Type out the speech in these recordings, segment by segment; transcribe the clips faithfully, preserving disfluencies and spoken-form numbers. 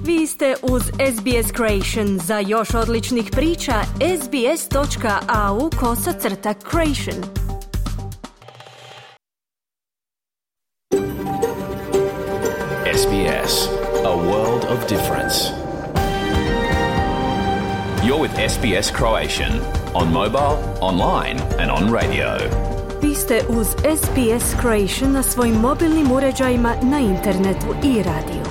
Vi ste uz S B S Creation. Za još odličnih priča, sbs.au kosacrta creation. S B S, a world of difference. You're with S B S Croatian, on mobile, online and on radio. Vi ste uz S B S Creation na svojim mobilnim uređajima, na internetu i radiju.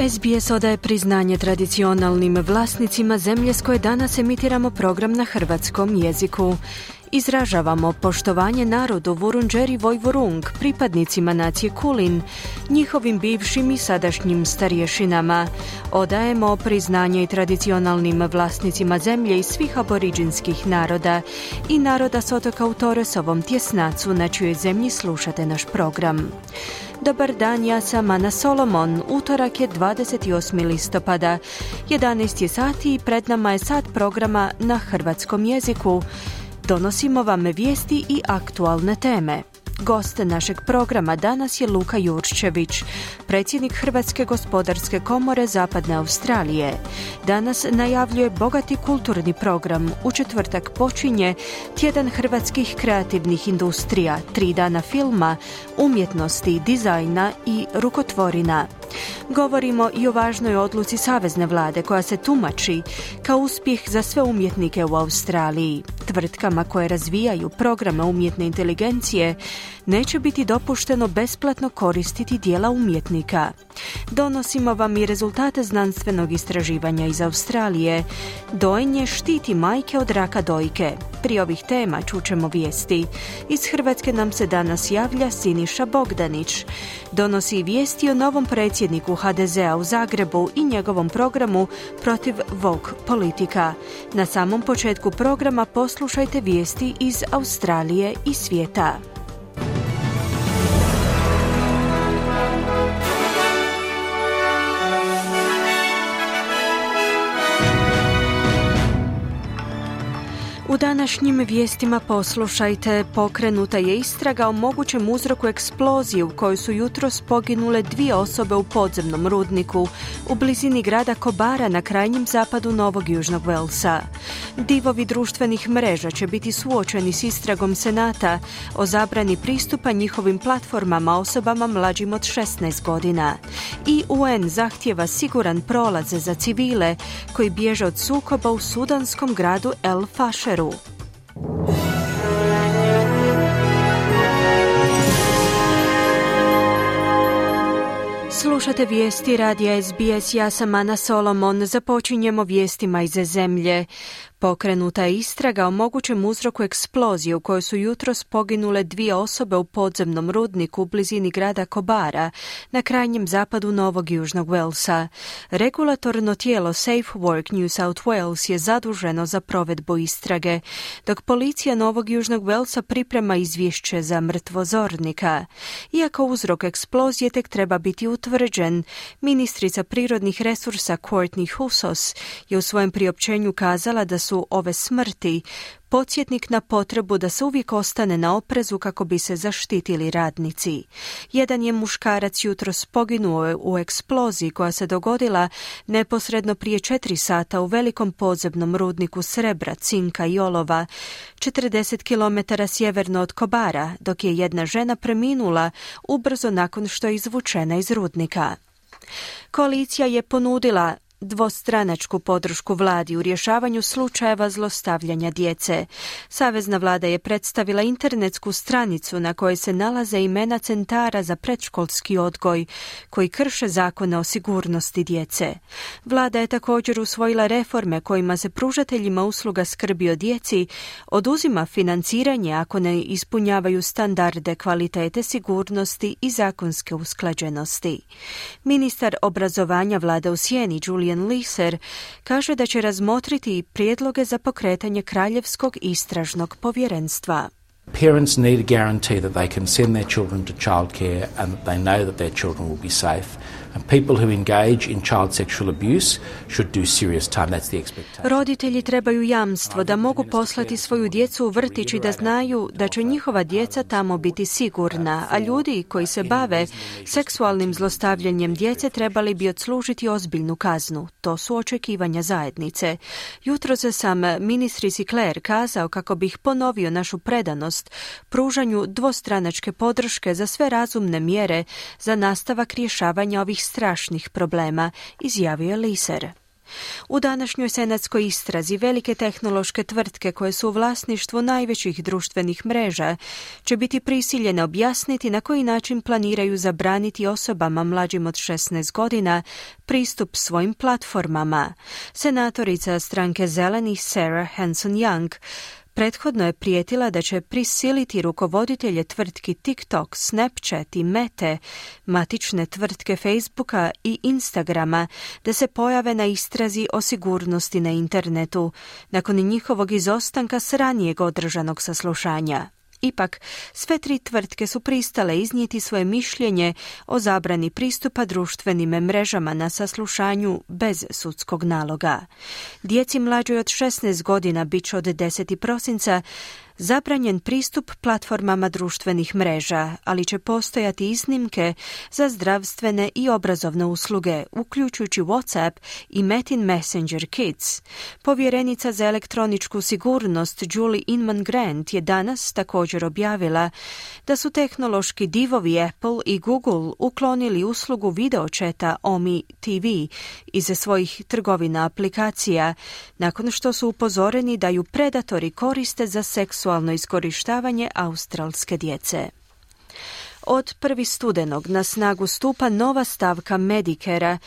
S B S odaje priznanje tradicionalnim vlasnicima zemlje s koje danas emitiramo program na hrvatskom jeziku. Izražavamo poštovanje narodu Vurundjeri Vojvurung, pripadnicima nacije Kulin, njihovim bivšim i sadašnjim starješinama. Odajemo priznanje i tradicionalnim vlasnicima zemlje i svih aboriđinskih naroda i naroda s otoka u Torresovom tjesnacu, na čijoj zemlji slušate naš program. Dobar dan, ja sam Ana Solomon. Utorak je dvadeset osmi listopada. jedanaest je sati i pred nama je sat programa na hrvatskom jeziku. Donosimo vam vijesti i aktualne teme. Gost našeg programa danas je Luka Jurčević, predsjednik Hrvatske gospodarske komore Zapadne Australije. Danas najavljuje bogati kulturni program. U četvrtak počinje Tjedan hrvatskih kreativnih industrija, tri dana filma, umjetnosti, dizajna i rukotvorina. Govorimo i o važnoj odluci savezne vlade koja se tumači kao uspjeh za sve umjetnike u Australiji. Tvrtkama koje razvijaju programe umjetne inteligencije neće biti dopušteno besplatno koristiti djela umjetnika. Donosimo vam i rezultate znanstvenog istraživanja iz Australije. Dojenje štiti majke od raka dojke. Prije ovih tema čućemo vijesti. Iz Hrvatske nam se danas javlja Siniša Bogdanić. Donosi vijesti o novom predsjedniku H D Z-a u Zagrebu i njegovom programu protiv woke politika. Na samom početku programa poslušajte vijesti iz Australije i svijeta. U današnjim vijestima poslušajte, pokrenuta je istraga o mogućem uzroku eksplozije u kojoj su jutros poginule dvije osobe u podzemnom rudniku u blizini grada Kobara na krajnjem zapadu Novog Južnog Walesa. Divovi društvenih mreža će biti suočeni s istragom Senata o zabrani pristupa njihovim platformama osobama mlađim od šesnaest godina. I U N zahtijeva siguran prolaz za civile koji bježe od sukoba u sudanskom gradu El Fasheru. Slušate vijesti radija S B S, ja sam Ana Solomon. Započinjemo vijestima iz zemlje. Pokrenuta je istraga o mogućem uzroku eksplozije u kojoj su jutros poginule dvije osobe u podzemnom rudniku u blizini grada Kobara na krajnjem zapadu Novog Južnog Walesa. Regulatorno tijelo Safe Work New South Wales je zaduženo za provedbu istrage, dok policija Novog Južnog Walesa priprema izvješće za mrtvozornika. Iako uzrok eksplozije tek treba biti utvrđen, ministrica prirodnih resursa Courtney Houssos je u svojem priopćenju kazala da su ove smrti podsjetnik na potrebu da se uvijek ostane na oprezu kako bi se zaštitili radnici. Jedan je muškarac jutros poginuo u eksploziji koja se dogodila neposredno prije četiri sata u velikom podzemnom rudniku srebra, cinka i olova, četrdeset kilometara sjeverno od Kobara, dok je jedna žena preminula ubrzo nakon što je izvučena iz rudnika. Koalicija je ponudila dvostranačku podršku vladi u rješavanju slučajeva zlostavljanja djece. Savezna vlada je predstavila internetsku stranicu na kojoj se nalaze imena centara za predškolski odgoj koji krše zakone o sigurnosti djece. Vlada je također usvojila reforme kojima se pružateljima usluga skrbi o djeci oduzima financiranje ako ne ispunjavaju standarde kvalitete, sigurnosti i zakonske usklađenosti. Ministar obrazovanja vlade u sjeni Julian Leeser kaže da će razmotriti prijedloge za pokretanje kraljevskog istražnog povjerenstva. Parents need a guarantee that they can send their children to childcare and that they know that their children will be safe. And people who engage in child sexual abuse should do serious time. That's the expectation. Roditelji trebaju jamstvo da mogu poslati svoju djecu u vrtić i da znaju da će njihova djeca tamo biti sigurna, a ljudi koji se bave seksualnim zlostavljanjem djece trebali bi odslužiti ozbiljnu kaznu. To su očekivanja zajednice. Jutros sam ministrici Claire kazao kako bih ponovio našu predanost pružanju dvostranačke podrške za sve razumne mjere za nastavak rješavanja ovih strašnih problema, izjavio je Liser. U današnjoj senatskoj istrazi velike tehnološke tvrtke koje su u vlasništvu najvećih društvenih mreža će biti prisiljene objasniti na koji način planiraju zabraniti osobama mlađim od šesnaest godina pristup svojim platformama. Senatorica stranke Zelenih Sarah Hanson-Young prethodno je prijetila da će prisiliti rukovoditelje tvrtki TikTok, Snapchat i Mete, matične tvrtke Facebooka i Instagrama, da se pojave na istrazi o sigurnosti na internetu, nakon njihovog izostanka s ranijeg održanog saslušanja. Ipak, sve tri tvrtke su pristale iznijeti svoje mišljenje o zabrani pristupa društvenim mrežama na saslušanju bez sudskog naloga. Djeci mlađoj od šesnaest godina bit će od desetog prosinca zabranjen pristup platformama društvenih mreža, ali će postojati iznimke za zdravstvene i obrazovne usluge, uključujući WhatsApp i Metin Messenger Kids. Povjerenica za elektroničku sigurnost Julie Inman Grant je danas također objavila da su tehnološki divovi Apple i Google uklonili uslugu videočeta Omi T V iz svojih trgovina aplikacija, nakon što su upozoreni da ju predatori koriste za seksualno iskorištavanje australske djece. Od prvog studenog na snagu stupa nova stavka Medicare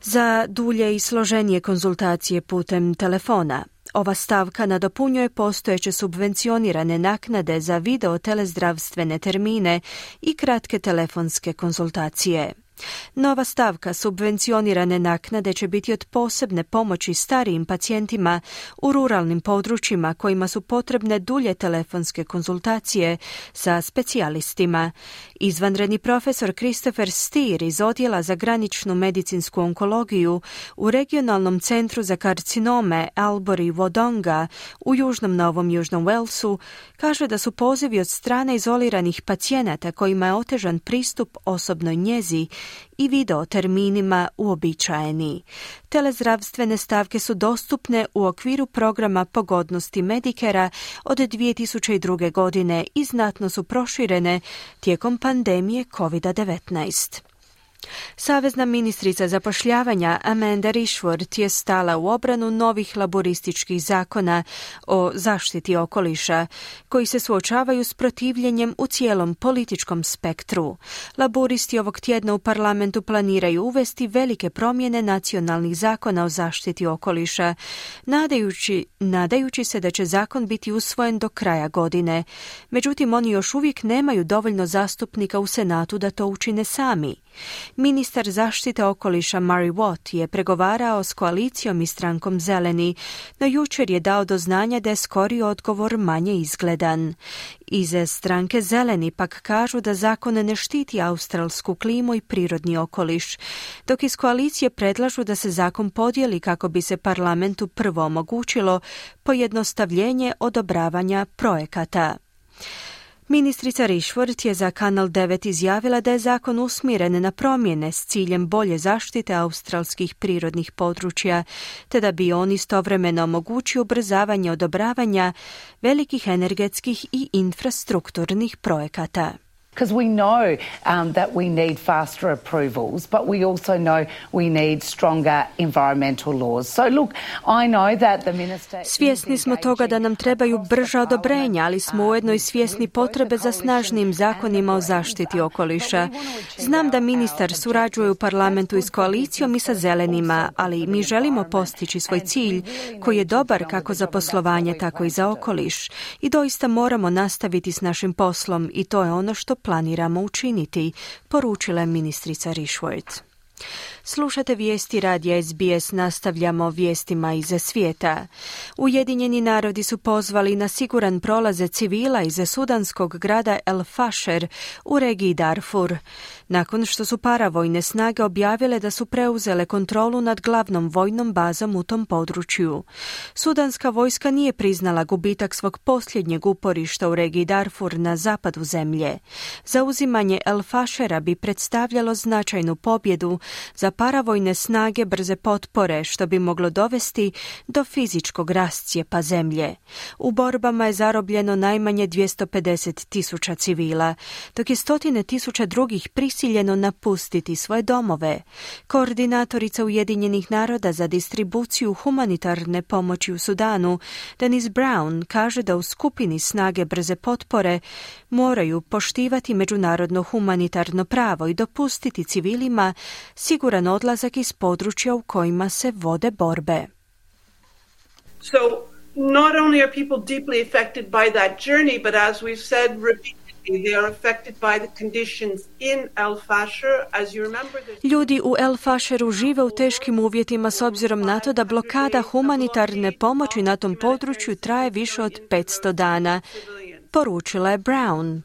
za dulje i složenije konzultacije putem telefona. Ova stavka nadopunjuje postojeće subvencionirane naknade za video telezdravstvene termine i kratke telefonske konzultacije. Nova stavka subvencionirane naknade će biti od posebne pomoći starijim pacijentima u ruralnim područjima kojima su potrebne dulje telefonske konzultacije sa specijalistima. Izvanredni profesor Christopher Steer iz Odjela za graničnu medicinsku onkologiju u regionalnom centru za karcinome Albury Wodonga u Južnom Novom Južnom Walesu kaže da su pozivi od strane izoliranih pacijenata kojima je otežan pristup osobnoj njezi i video terminima uobičajeni. Telezdravstvene stavke su dostupne u okviru programa pogodnosti Medicare od dvije tisuće druge. godine i znatno su proširene tijekom pandemije kovid devetnaest. Savezna ministrica zapošljavanja Amanda Rishworth je stala u obranu novih laborističkih zakona o zaštiti okoliša, koji se suočavaju s protivljenjem u cijelom političkom spektru. Laboristi ovog tjedna u parlamentu planiraju uvesti velike promjene nacionalnih zakona o zaštiti okoliša, nadajući, nadajući se da će zakon biti usvojen do kraja godine. Međutim, oni još uvijek nemaju dovoljno zastupnika u Senatu da to učine sami. Ministar zaštite okoliša Murray Watt je pregovarao s koalicijom i strankom Zeleni, no jučer je dao do znanja da je skori odgovor manje izgledan. Iz stranke Zeleni pak kažu da zakon ne štiti australsku klimu i prirodni okoliš, dok iz koalicije predlažu da se zakon podijeli kako bi se parlamentu prvo omogućilo pojednostavljenje odobravanja projekata. Ministrica Rishworth je za Kanal devet izjavila da je zakon usmjeren na promjene s ciljem bolje zaštite australskih prirodnih područja, te da bi on istovremeno omogućio ubrzavanje odobravanja velikih energetskih i infrastrukturnih projekata. Because we know um, that we need faster approvals, but we also know we need stronger environmental laws. So look, I know that the minister... Svjesni smo toga da nam trebaju brža odobrenja, ali smo ujedno i svjesni potrebe za snažnim zakonima o zaštiti okoliša. Znam da ministar surađuje u parlamentu i s koalicijom i sa zelenima, ali mi želimo postići svoj cilj koji je dobar kako za poslovanje, tako i za okoliš. I doista moramo nastaviti s našim poslom i to je ono što planiramo učiniti, poručila je ministrica Rishworth. Slušate vijesti radija S B S, nastavljamo vijestima iz svijeta. Ujedinjeni narodi su pozvali na siguran prolaz civila iz sudanskog grada El Fasher u regiji Darfur, nakon što su paravojne snage objavile da su preuzele kontrolu nad glavnom vojnom bazom u tom području. Sudanska vojska nije priznala gubitak svog posljednjeg uporišta u regiji Darfur na zapadu zemlje. Zauzimanje El Fashera bi predstavljalo značajnu pobjedu za paravojne snage brze potpore, što bi moglo dovesti do fizičkog rascijepa zemlje. U borbama je zarobljeno najmanje dvjesto pedeset tisuća civila, dok je stotine tisuća drugih prisiljeno napustiti svoje domove. Koordinatorica Ujedinjenih naroda za distribuciju humanitarne pomoći u Sudanu, Denise Brown, kaže da u skupini snage brze potpore moraju poštivati međunarodno humanitarno pravo i dopustiti civilima siguran odlazak iz područja u kojima se vode borbe. So not only are people deeply affected by that journey, but as we've said repeatedly, they are affected by the conditions in El Fasher. As you remember, ljudi u El Fasheru žive u teškim uvjetima s obzirom na to da blokada humanitarne pomoći na tom području traje više od petsto dana, poručila je Brown.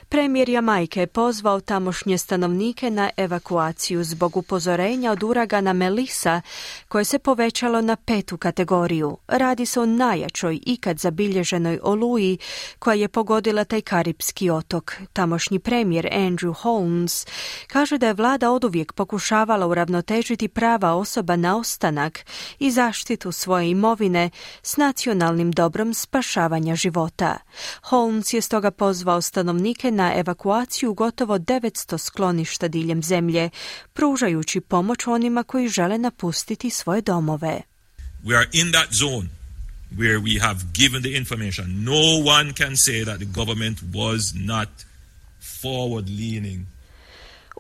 Premijer Jamajke je pozvao tamošnje stanovnike na evakuaciju zbog upozorenja od uragana Melissa, koje se povećalo na petu kategoriju. Radi se o najjačoj ikad zabilježenoj oluji koja je pogodila taj karipski otok. Tamošnji premijer Andrew Holmes kaže da je vlada oduvijek pokušavala uravnotežiti prava osoba na ostanak i zaštitu svoje imovine s nacionalnim dobrom spašavanja života. Holmes je stoga pozvao stanovnike na evakuaciju gotovo devetsto skloništa diljem zemlje, pružajući pomoć onima koji žele napustiti svoje domove. We are in that zone where we have given the information. No one can say that the government was not forward leaning.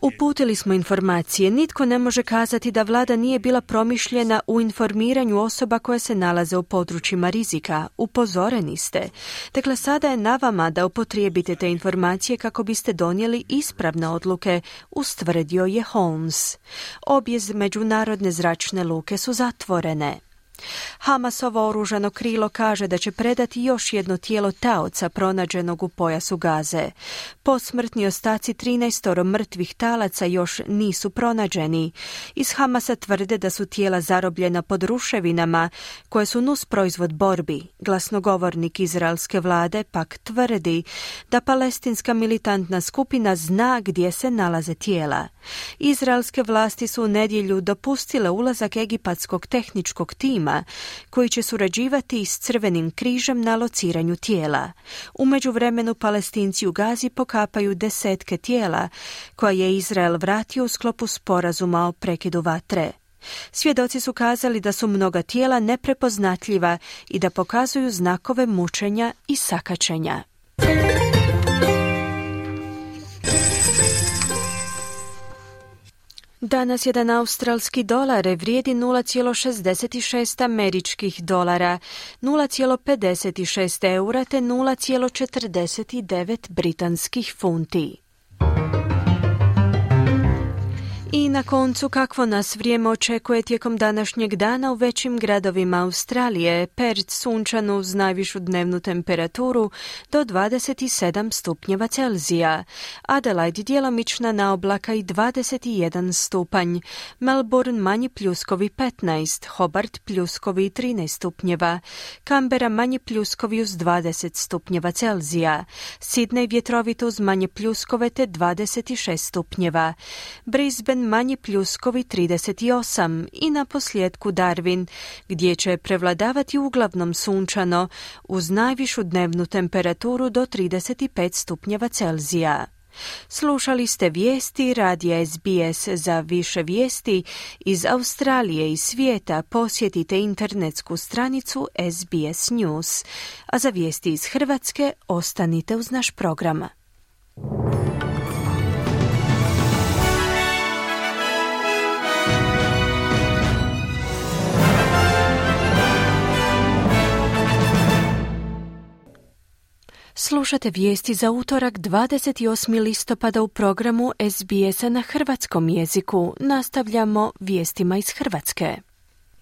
Uputili smo informacije. Nitko ne može kazati da vlada nije bila promišljena u informiranju osoba koje se nalaze u područjima rizika. Upozoreni ste. Dakle, sada je na vama da upotrijebite te informacije kako biste donijeli ispravne odluke, ustvrdio je Holmes. Obje međunarodne zračne luke su zatvorene. Hamasovo oružano krilo kaže da će predati još jedno tijelo taoca pronađenog u pojasu Gaze. Posmrtni ostaci trinaestoro mrtvih talaca još nisu pronađeni. Iz Hamasa tvrde da su tijela zarobljena pod ruševinama koje su nus proizvod borbi. Glasnogovornik izraelske vlade pak tvrdi da palestinska militantna skupina zna gdje se nalaze tijela. Izraelske vlasti su u nedjelju dopustile ulazak egipatskog tehničkog tima koji će surađivati s Crvenim križem na lociranju tijela. U međuvremenu Palestinci u Gazi pokapaju desetke tijela koja je Izrael vratio u sklopu sporazuma o prekidu vatre. Svjedoci su kazali da su mnoga tijela neprepoznatljiva i da pokazuju znakove mučenja i sakačenja. Danas jedan australski dolar vrijedi nula zarez šezdeset šest američkih dolara, nula zarez pedeset šest eura te nula zarez četrdeset devet britanskih funti. I na koncu, kakvo nas vrijeme očekuje tijekom današnjeg dana u većim gradovima Australije. Perth sunčano uz najvišu dnevnu temperaturu do dvadeset sedam stupnjeva Celzija. Adelaide djelomična naoblaka i dvadeset jedan stupanj. Melbourne manji pljuskovi petnaest, Hobart pljuskovi trinaest stupnjeva. Canberra manji pljuskovi uz dvadeset stupnjeva Celzija. Sydney vjetrovito uz manje pljuskove te dvadeset šest stupnjeva. Brisbane manji pljuskovi trideset osam i na posljedku Darwin, gdje će prevladavati uglavnom sunčano uz najvišu dnevnu temperaturu do trideset pet stupnjeva Celzija. Slušali ste vijesti radija S B S. Za više vijesti iz Australije i svijeta posjetite internetsku stranicu S B S News. A za vijesti iz Hrvatske ostanite uz naš program. Slušate vijesti za utorak dvadeset osmog listopada u programu S B S-a na hrvatskom jeziku. Nastavljamo vijestima iz Hrvatske.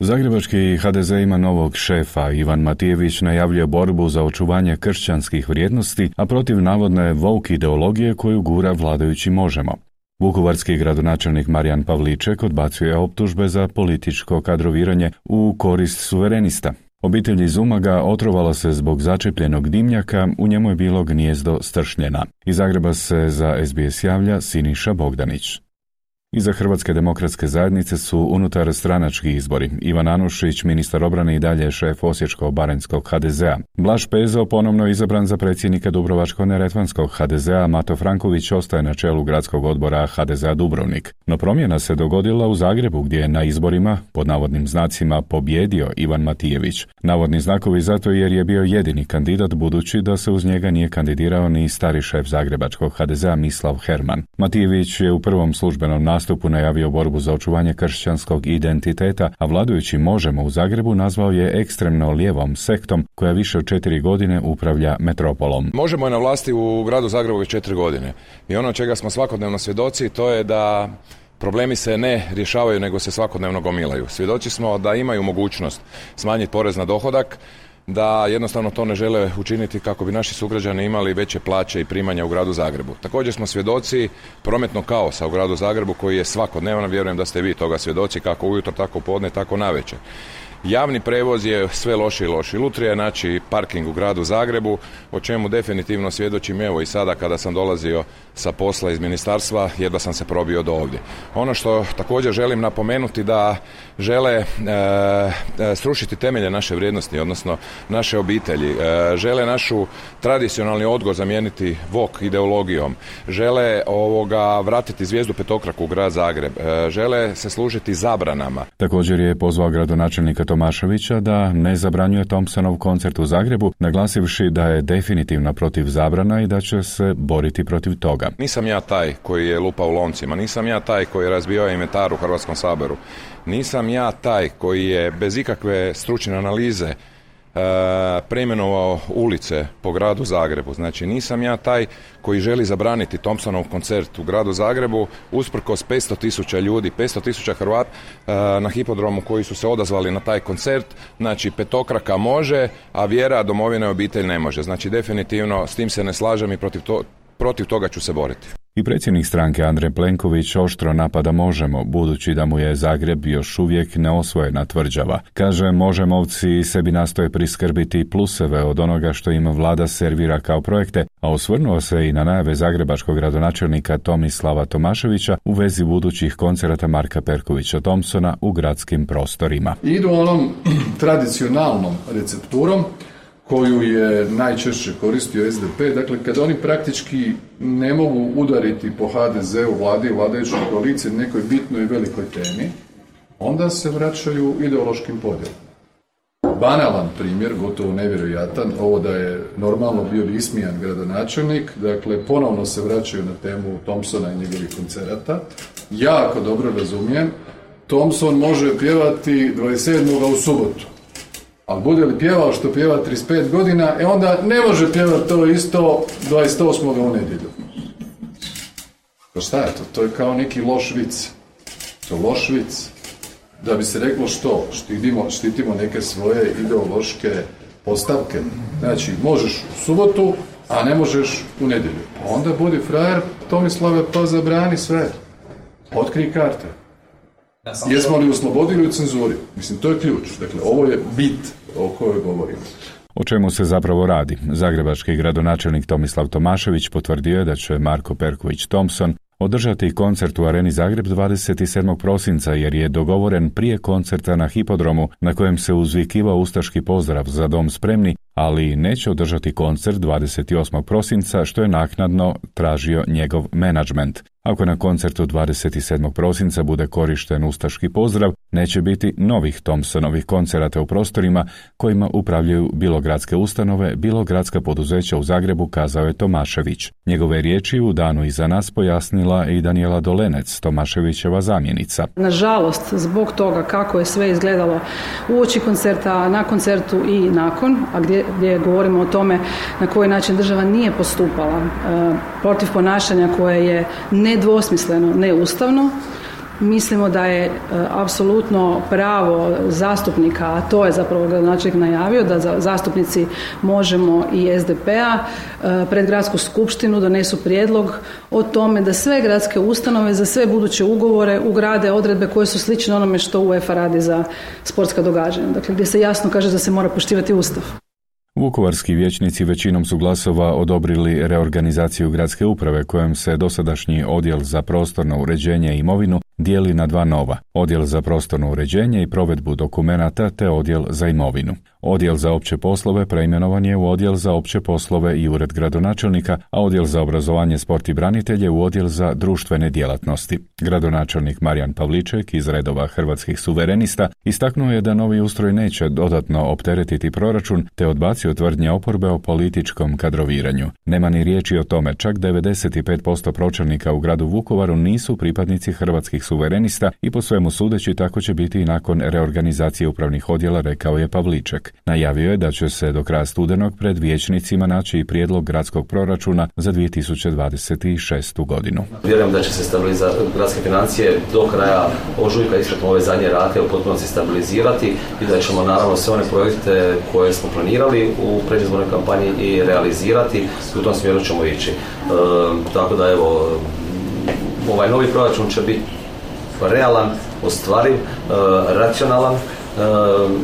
Zagrebački H D Z ima novog šefa. Ivan Matijević najavljuje borbu za očuvanje kršćanskih vrijednosti, a protiv navodne woke ideologije koju gura vladajući Možemo. Vukovarski gradonačelnik Marijan Pavliček odbacuje optužbe za političko kadroviranje u korist suverenista. Obitelj iz Umaga otrovala se zbog začepljenog dimnjaka, u njemu je bilo gnijezdo stršnjena. Iz Zagreba se za S B S javlja Siniša Bogdanić. Iza Hrvatske demokratske zajednice su unutar stranački izbori. Ivan Anušić, ministar obrane, i dalje šef Osječko-baranjskog H D Z-a. Blaž Pezo ponovno izabran za predsjednika Dubrovačko-neretvanskog H D Z-a, Mato Franković ostaje na čelu gradskog odbora H D Z-a Dubrovnik. No promjena se dogodila u Zagrebu, gdje je na izborima, pod navodnim znacima, pobjedio Ivan Matijević. Navodni znakovi zato jer je bio jedini kandidat, budući da se uz njega nije kandidirao ni stari šef zagrebačkog H D Z-a Mislav Herman. Matijević je u prvom službenom nastupu najavio borbu za očuvanje kršćanskog identiteta, a vladajući Možemo u Zagrebu nazvao je ekstremno lijevom sektom koja više od četiri godine upravlja metropolom. Možemo je na vlasti u gradu Zagrebu već četiri godine i ono čega smo svakodnevno svjedoci to je da problemi se ne rješavaju nego se svakodnevno gomilaju. Svjedoci smo da imaju mogućnost smanjiti porez na dohodak, da jednostavno to ne žele učiniti kako bi naši sugrađani imali veće plaće i primanja u gradu Zagrebu. Također smo svjedoci prometnog kaosa u gradu Zagrebu koji je svakodnevno, vjerujem da ste vi toga svjedoci, kako ujutro, tako podne, tako navečer. Javni prevoz je sve loši i loši. Lutrija je naći parking u gradu Zagrebu, o čemu definitivno svjedočim evo i sada kada sam dolazio sa posla iz ministarstva, jedva sam se probio do ovdje. Ono što također želim napomenuti da žele e, srušiti temelje naše vrijednosti, odnosno naše obitelji. E, žele našu tradicionalni odgoj zamijeniti woke ideologijom. Žele ovoga vratiti zvijezdu petokraku u grad Zagreb. E, žele se služiti zabranama. Također je pozvao gradonačelnika Tomaševića da ne zabranjuje Thompsonov koncert u Zagrebu, naglasivši da je definitivno protiv zabrana i da će se boriti protiv toga. Nisam ja taj koji je lupao u loncima, nisam ja taj koji je razbijao inventar u Hrvatskom saboru, nisam ja taj koji je bez ikakve stručne analize Uh, preimenovao ulice po gradu Zagrebu. Znači nisam ja taj koji želi zabraniti Thompsonov koncert u gradu Zagrebu usprkos petsto tisuća ljudi, petsto tisuća Hrvata uh, na hipodromu koji su se odazvali na taj koncert. Znači petokraka može, a vjera, domovina i obitelj ne može. Znači definitivno s tim se ne slažem i protiv, to, protiv toga ću se boriti. I predsjednik stranke Andrej Plenković oštro napada Možemo, budući da mu je Zagreb još uvijek neosvojena tvrđava. Kaže, Možemovci sebi nastoje priskrbiti pluseve od onoga što im vlada servira kao projekte, a osvrnuo se i na najave zagrebačkog gradonačelnika Tomislava Tomaševića u vezi budućih koncerata Marka Perkovića Thompsona u gradskim prostorima. Idu onom tradicionalnom recepturom koju je najčešće koristio S D P, dakle kada oni praktički ne mogu udariti po H D Z-u, vladi i vladajućoj koaliciji nekoj bitnoj i velikoj temi, onda se vraćaju ideološkim podjelom. Banalan primjer, gotovo nevjerojatan, ovo da je normalno bio ismijan gradonačelnik, dakle ponovno se vraćaju na temu Thompsona i njegovih koncerata. Jako dobro razumijem, Thompson može pjevati dvadeset sedmog u subotu. Ali bude li pjevao što pjeva trideset pet godina, e onda ne može pjevati to isto dvadeset osmog u nedjelju. Pa šta je to? To je kao neki loš vic. To je loš vic. Da bi se reklo što? Štitimo, štitimo neke svoje ideološke postavke. Znači, možeš u subotu, a ne možeš u nedjelju. Pa onda budi frajer, Tomislave, pa zabrani sve. Otkrij karte. Jesmo li oslobodili u cenzuri? Mislim, to je ključ. Dakle, ovo je bit o kojoj govorimo. O čemu se zapravo radi? Zagrebački gradonačelnik Tomislav Tomašević potvrdio je da će Marko Perković Thompson održati koncert u Areni Zagreb dvadeset sedmog prosinca jer je dogovoren prije koncerta na hipodromu na kojem se uzvikivao ustaški pozdrav Za dom spremni, ali neće održati koncert dvadeset osmog prosinca što je naknadno tražio njegov menadžment. Ako na koncertu dvadeset sedmog prosinca bude korišten ustaški pozdrav, neće biti novih Thompsonovih koncerata u prostorima kojima upravljaju bilo gradske ustanove, bilo gradska poduzeća u Zagrebu, kazao je Tomašević. Njegove riječi u danu iza nas pojasnila i Danijela Dolenec, Tomaševićeva zamjenica. Nažalost, zbog toga kako je sve izgledalo uoči koncerta, na koncertu i nakon, a gdje, gdje govorimo o tome na koji način država nije postupala e, protiv ponašanja koje je nedvosmisleno, neustavno, mislimo da je e, apsolutno pravo zastupnika, a to je zapravo gradonačelnik najavio, da za, zastupnici Možemo i es de pe-a e, pred gradsku skupštinu donesu prijedlog o tome da sve gradske ustanove za sve buduće ugovore ugrade odredbe koje su slične onome što UEFA radi za sportska događanja. Dakle, gdje se jasno kaže da se mora poštivati Ustav. Vukovarski vijećnici većinom su glasova odobrili reorganizaciju gradske uprave kojom se dosadašnji odjel za prostorno uređenje i imovinu dijeli na dva nova, odjel za prostorno uređenje i provedbu dokumenata te odjel za imovinu. Odjel za opće poslove preimenovan je u odjel za opće poslove i ured gradonačelnika, a odjel za obrazovanje, sport i branitelje u odjel za društvene djelatnosti. Gradonačelnik Marijan Pavliček iz redova Hrvatskih suverenista istaknuo je da novi ustroj neće dodatno opteretiti proračun te odbacio tvrdnje oporbe o političkom kadroviranju. Nema ni riječi o tome, čak devedeset pet posto pročelnika u gradu Vukovaru nisu pripadnici Hrvatskih suverenista i po svemu sudeći tako će biti i nakon reorganizacije upravnih odjela, rekao je Pavliček. Najavio je da će se do kraja studenog pred vijećnicima naći i prijedlog gradskog proračuna za dvije tisuće dvadeset šestu godinu. Vjerujem da će se stabilizirati gradske financije do kraja ožujka, istekom ove zadnje rate u potpunosti stabilizirati i da ćemo naravno sve one projekte koje smo planirali u predizbornoj kampanji i realizirati i u tom smjeru ćemo ići. E, tako da evo, ovaj novi proračun će biti realan, ostvariv, e, racionalan e,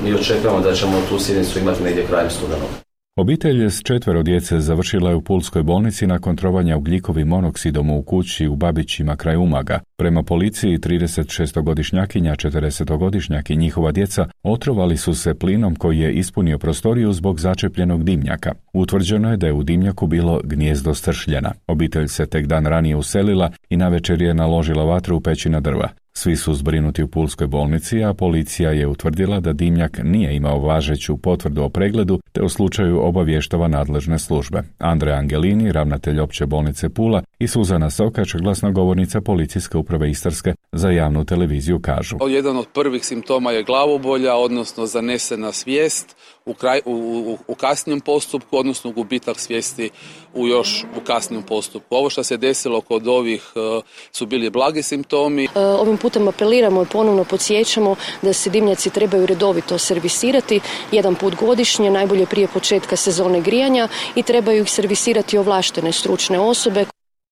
i očekujemo da ćemo tu sjednicu imati negdje krajem studenog. Obitelj s četvero djece završila je u Pulskoj bolnici nakon trovanja ugljikovim monoksidom u kući u Babićima kraj Umaga. Prema policiji, tridesetšestogodišnjakinja, četrdesetogodišnjak i njihova djeca otrovali su se plinom koji je ispunio prostoriju zbog začepljenog dimnjaka. Utvrđeno je da je u dimnjaku bilo gnijezdo stršljena. Obitelj se tek dan ranije uselila i navečer je naložila vatru u pećina drva. Svi su zbrinuti u Pulskoj bolnici, a policija je utvrdila da dimnjak nije imao važeću potvrdu o pregledu, te u slučaju obavještava nadležne službe. Andrea Angelini, ravnatelj opće bolnice Pula, i Suzana Sokač, glasnogovornica policijske uprave Istarske, za javnu televiziju kažu. Jedan od prvih simptoma je glavobolja, odnosno zanesena svijest u, kraj, u, u, u kasnijem postupku, odnosno gubitak svijesti u još u kasnijem postupku. Ovo što se desilo kod ovih uh, su bili blagi simptomi. Ovim putem apeliramo i ponovno podsjećamo da se dimnjaci trebaju redovito servisirati jedan put godišnje, najbolje prije početka sezone grijanja, i trebaju ih servisirati ovlaštene stručne osobe.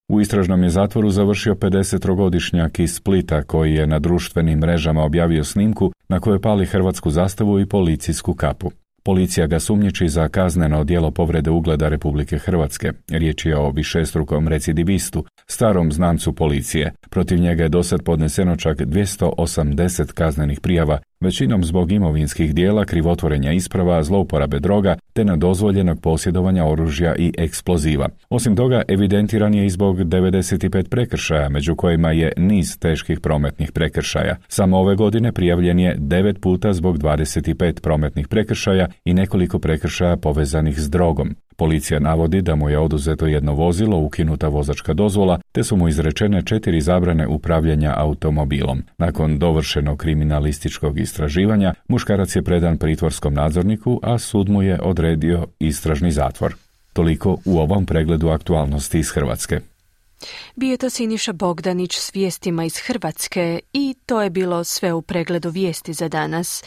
U istražnom je zatvoru završio pedesetogodišnjak iz Splita koji je na društvenim mrežama objavio snimku na kojoj pali hrvatsku zastavu i policijsku kapu. Policija ga sumnjiči za kazneno djelo povrede ugleda Republike Hrvatske. Riječ je o višestrukom recidivistu, starom znancu policije. Protiv njega je dosad podneseno čak dvjesto osamdeset kaznenih prijava, većinom zbog imovinskih dijela, krivotvorenja isprava, zlouporabe droga te nedozvoljenog posjedovanja oružja i eksploziva. Osim toga, evidentiran je i zbog devedeset pet prekršaja, među kojima je niz teških prometnih prekršaja. Samo ove godine prijavljen je devet puta zbog dvadeset pet prometnih prekršaja i nekoliko prekršaja povezanih s drogom. Policija navodi da mu je oduzeto jedno vozilo, ukinuta vozačka dozvola, te su mu izrečene četiri zabrane upravljanja automobilom. Nakon dovršenog kriminalističkog istraživanja, muškarac je predan pritvorskom nadzorniku, a sud mu je odredio istražni zatvor. Toliko u ovom pregledu aktualnosti iz Hrvatske. Bio je to Siniša Bogdanić s vijestima iz Hrvatske i to je bilo sve u pregledu vijesti za danas.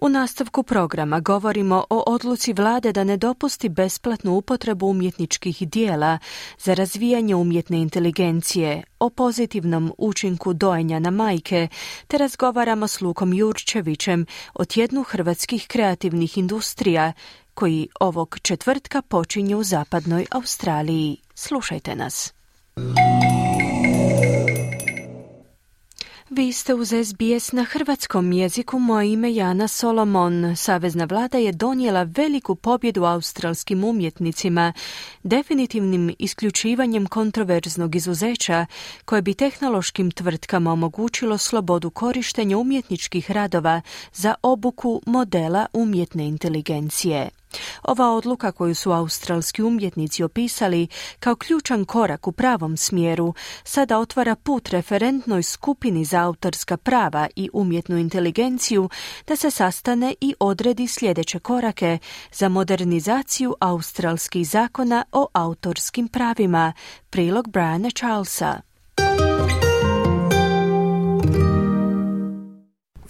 U nastavku programa govorimo o odluci vlade da ne dopusti besplatnu upotrebu umjetničkih dijela za razvijanje umjetne inteligencije, o pozitivnom učinku dojenja na majke, te razgovaramo s Lukom Jurčevićem o tjednu hrvatskih kreativnih industrija, koji ovog četvrtka počinje u zapadnoj Australiji. Slušajte nas. Vi ste uz S B S na hrvatskom jeziku, moje ime Jana Solomon. Savezna vlada je donijela veliku pobjedu australskim umjetnicima, definitivnim isključivanjem kontroverznog izuzeća koje bi tehnološkim tvrtkama omogućilo slobodu korištenja umjetničkih radova za obuku modela umjetne inteligencije. Ova odluka koju su australski umjetnici opisali kao ključan korak u pravom smjeru sada otvara put referentnoj skupini za autorska prava i umjetnu inteligenciju da se sastane i odredi sljedeće korake za modernizaciju australskih zakona o autorskim pravima. Prilog Briana Charlesa.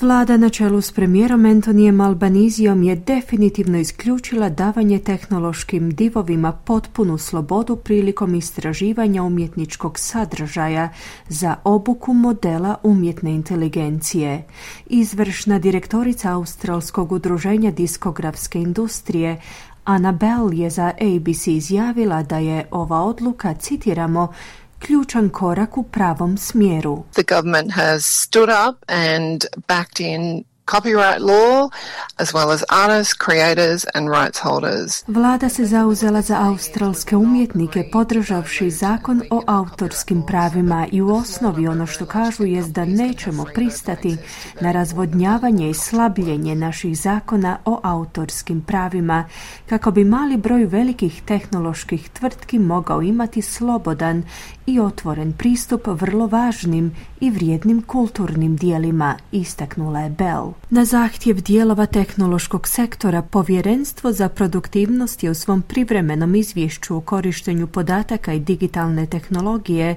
Vlada na čelu s premijerom Antonijem Albanizijom je definitivno isključila davanje tehnološkim divovima potpunu slobodu prilikom istraživanja umjetničkog sadržaja za obuku modela umjetne inteligencije. Izvršna direktorica Australskog udruženja diskografske industrije Anna Bell je za A B C izjavila da je ova odluka, citiramo, ključan korak u pravom smjeru. The government has stood up and backed in copyright law, as well as artists, creators and rights holders. Vlada se zauzela za australske umjetnike podržavši zakon o autorskim pravima i u osnovi ono što kažu jest da nećemo pristati na razvodnjavanje i slabljenje naših zakona o autorskim pravima kako bi mali broj velikih tehnoloških tvrtki mogao imati slobodan i otvoren pristup vrlo važnim i vrijednim kulturnim dijelima, istaknula je Bell. Na zahtjev dijelova tehnološkog sektora, Povjerenstvo za produktivnost je u svom privremenom izvješću o korištenju podataka i digitalne tehnologije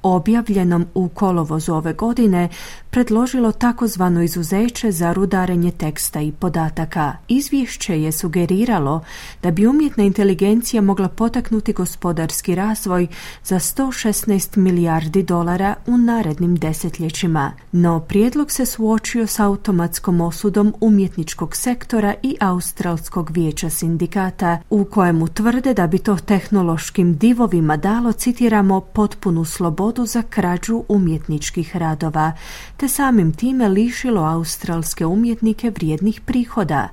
objavljenom u kolovozu ove godine predložilo takozvano izuzeće za rudarenje teksta i podataka. Izvješće je sugeriralo da bi umjetna inteligencija mogla potaknuti gospodarski razvoj za sto šesnaest milijardi dolara u narednim desetljećima. No prijedlog se suočio s automatskom osudom umjetničkog sektora i Australskog vijeća sindikata, u kojemu tvrde da bi to tehnološkim divovima dalo, citiramo, potpunu slobodu za krađu umjetničkih radova, te samim time lišilo australske umjetnike vrijednih prihoda.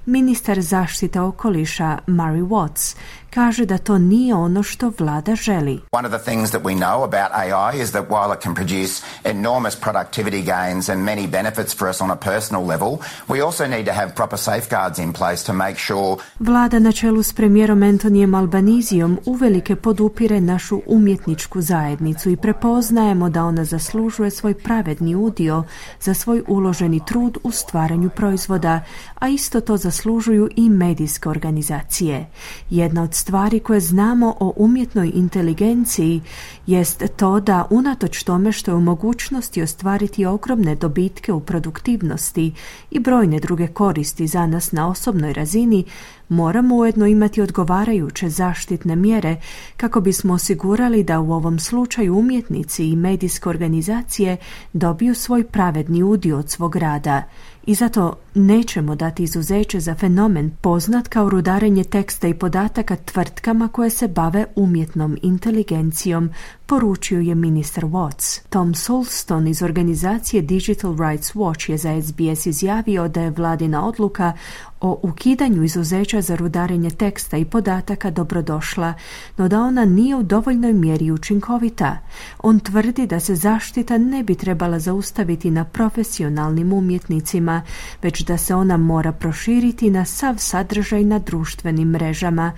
Ministar zaštite okoliša Murray Watts kaže da to nije ono što vlada želi. One of the things that we know about A I is that while it can produce enormous productivity gains and many benefits for us on a personal level, we also need to have proper safeguards in place to make sure. Vlada na čelu s premijerom Antonijem Albanizijom uvelike podupire našu umjetničku zajednicu i prepoznajemo da ona zaslužuje svoj pravedni udio za svoj uloženi trud u stvaranju proizvoda, a isto to zaslužuju i medijske organizacije. Jedna od stvari koje znamo o umjetnoj inteligenciji jest to da unatoč tome što je u mogućnosti ostvariti ogromne dobitke u produktivnosti i brojne druge koristi za nas na osobnoj razini, moramo ujedno imati odgovarajuće zaštitne mjere kako bismo osigurali da u ovom slučaju umjetnici i medijske organizacije dobiju svoj pravedni udio od svog rada. I zato nećemo dati izuzeće za fenomen poznat kao rudarenje teksta i podataka tvrtkama koje se bave umjetnom inteligencijom, poručio je ministar Watts. Tom Sulston iz organizacije Digital Rights Watch je za S B S izjavio da je vladina odluka o ukidanju izuzeća za rudarenje teksta i podataka dobrodošla, no da ona nije u dovoljnoj mjeri učinkovita. On tvrdi da se zaštita ne bi trebala zaustaviti na profesionalnim umjetnicima, već da se ona mora proširiti na sav sadržaj na društvenim mrežama,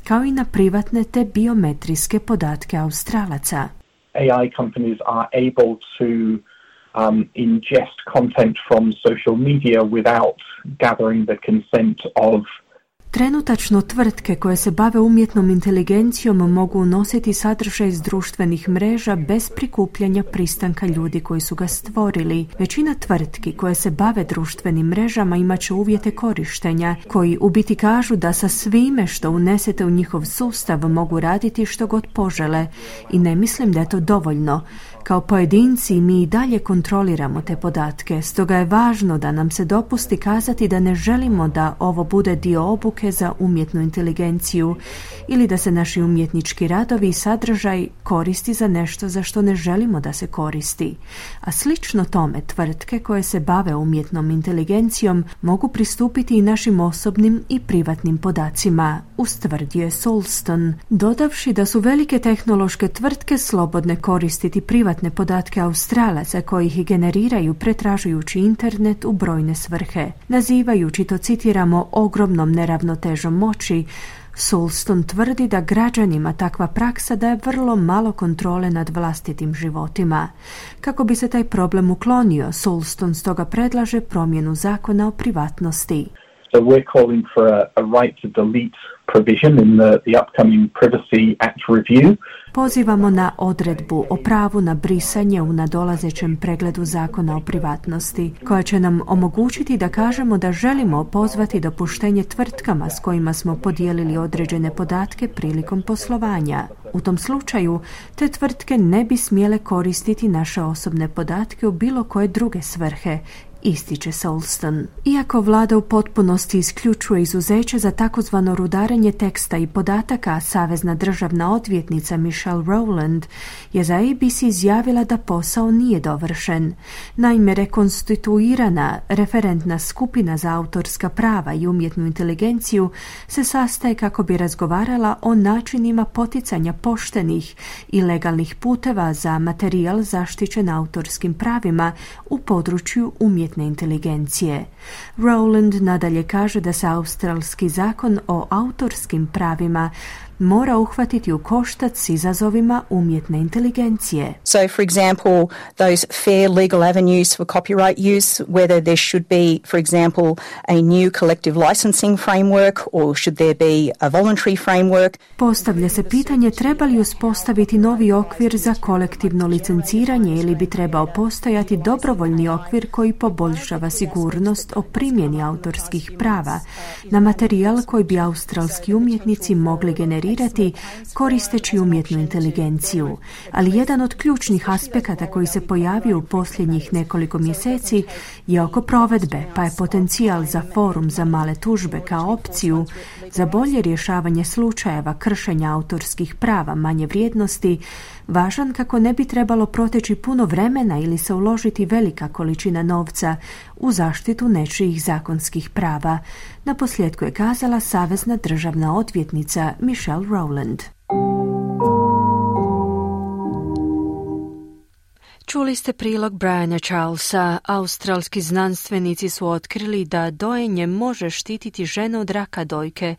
kao i na privatne te biometrijske podatke Australaca. A I companies are able to um, ingest content from social media without gathering the consent of. Trenutačno tvrtke koje se bave umjetnom inteligencijom mogu unositi sadržaj iz društvenih mreža bez prikupljanja pristanka ljudi koji su ga stvorili. Većina tvrtki koje se bave društvenim mrežama imat će uvjete korištenja koji u biti kažu da sa svime što unesete u njihov sustav mogu raditi što god požele i ne mislim da je to dovoljno. Kao pojedinci mi i dalje kontroliramo te podatke, stoga je važno da nam se dopusti kazati da ne želimo da ovo bude dio obuke za umjetnu inteligenciju ili da se naši umjetnički radovi i sadržaj koristi za nešto za što ne želimo da se koristi. A slično tome, tvrtke koje se bave umjetnom inteligencijom mogu pristupiti i našim osobnim i privatnim podacima, ustvrdio je Solston, dodavši da su velike tehnološke tvrtke slobodne koristiti privatne podatke Australaca koji ih generiraju pretražujući internet u brojne svrhe. Nazivajući to, citiramo, ogromnom neravnotežom moći, Solston tvrdi da građanima takva praksa daje vrlo malo kontrole nad vlastitim životima. Kako bi se taj problem uklonio, Solston stoga predlaže promjenu zakona o privatnosti. So we're calling for a, a right to delete provision in the, the upcoming Privacy Act review. Pozivamo na odredbu o pravu na brisanje u nadolazećem pregledu zakona o privatnosti, koja će nam omogućiti da kažemo da želimo pozvati dopuštenje tvrtkama s kojima smo podijelili određene podatke prilikom poslovanja. U tom slučaju, te tvrtke ne bi smjele koristiti naše osobne podatke u bilo koje druge svrhe, ističe Solston. Iako vlada u potpunosti isključuje izuzeće za takozvano rudarenje teksta i podataka, savezna državna odvjetnica Michelle Rowland je za A B C izjavila da posao nije dovršen. Naime, rekonstituirana referentna skupina za autorska prava i umjetnu inteligenciju se sastaje kako bi razgovarala o načinima poticanja poštenih i legalnih puteva za materijal zaštićen autorskim pravima u području umjetne inteligencije. Rowland nadalje kaže da se australski zakon o autorskim pravima mora uhvatiti u koštac s izazovima umjetne inteligencije. So, for example, those fair legal avenues for copyright use, whether there should be, for example, a new collective licensing framework or should there be a voluntary framework. Postavlja se pitanje treba li uspostaviti novi okvir za kolektivno licenciranje ili bi trebao postojati dobrovoljni okvir koji poboljšava sigurnost o primjeni autorskih prava na materijal koji bi australski umjetnici mogli generirati koristeći umjetnu inteligenciju. Ali jedan od ključnih aspekata koji se pojavio u posljednjih nekoliko mjeseci je oko provedbe, pa je potencijal za forum za male tužbe kao opciju za bolje rješavanje slučajeva kršenja autorskih prava manje vrijednosti važan kako ne bi trebalo proteći puno vremena ili se uložiti velika količina novca u zaštitu nečijih zakonskih prava. Na posljedku je kazala savezna državna odvjetnica Michelle Rowland. Čuli ste prilog Briana Charlesa. Australski znanstvenici su otkrili da dojenje može štititi žene od raka dojke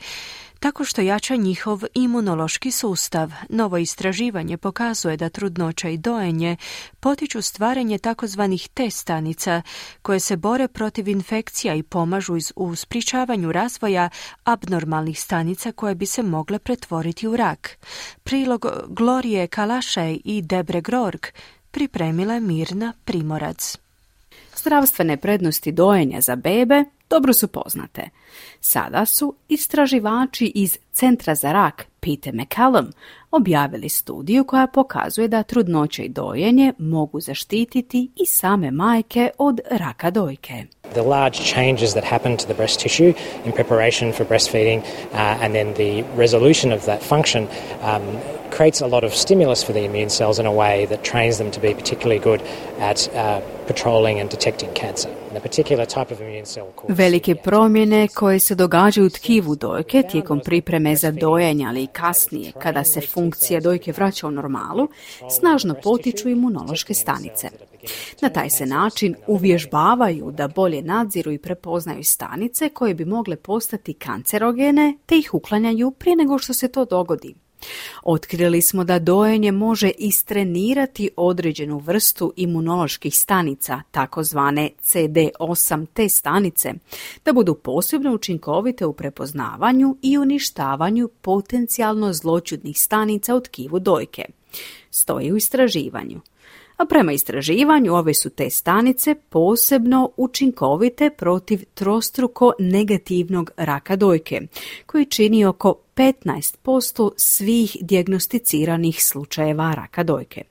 tako što jača njihov imunološki sustav. Novo istraživanje pokazuje da trudnoća i dojenje potiču stvaranje takozvanih T stanica koje se bore protiv infekcija i pomažu u sprječavanju razvoja abnormalnih stanica koje bi se mogle pretvoriti u rak. Prilog Glorije Kalašaj i Debre Grork pripremila je Mirna Primorac. Zdravstvene prednosti dojenja za bebe dobro su poznate. Sada su istraživači iz Centra za rak Peter McCallum objavili studiju koja pokazuje da trudnoća i dojenje mogu zaštititi i same majke od raka dojke. The large changes that happen to the breast tissue in preparation for breastfeeding uh, and then the resolution of that function um, creates a lot of stimulus for the immune cells in a way that trains them to be particularly good at uh, patrolling and detecting cancer. And a particular type of immune cell called Velike promjene koje se događaju u tkivu dojke tijekom pripreme za dojenje, ali i kasnije, kada se funkcija dojke vraća u normalu, snažno potiču imunološke stanice. Na taj se način uvježbavaju da bolje nadziru i prepoznaju stanice koje bi mogle postati kancerogene te ih uklanjaju prije nego što se to dogodi. Otkrili smo da dojenje može istrenirati određenu vrstu imunoloških stanica, takozvane C D osam T stanice, da budu posebno učinkovite u prepoznavanju i uništavanju potencijalno zloćudnih stanica u tkivu dojke. Stoji u istraživanju. A prema istraživanju ove su te stanice posebno učinkovite protiv trostruko negativnog raka dojke, koji čini oko petnaest posto svih dijagnosticiranih slučajeva raka dojke.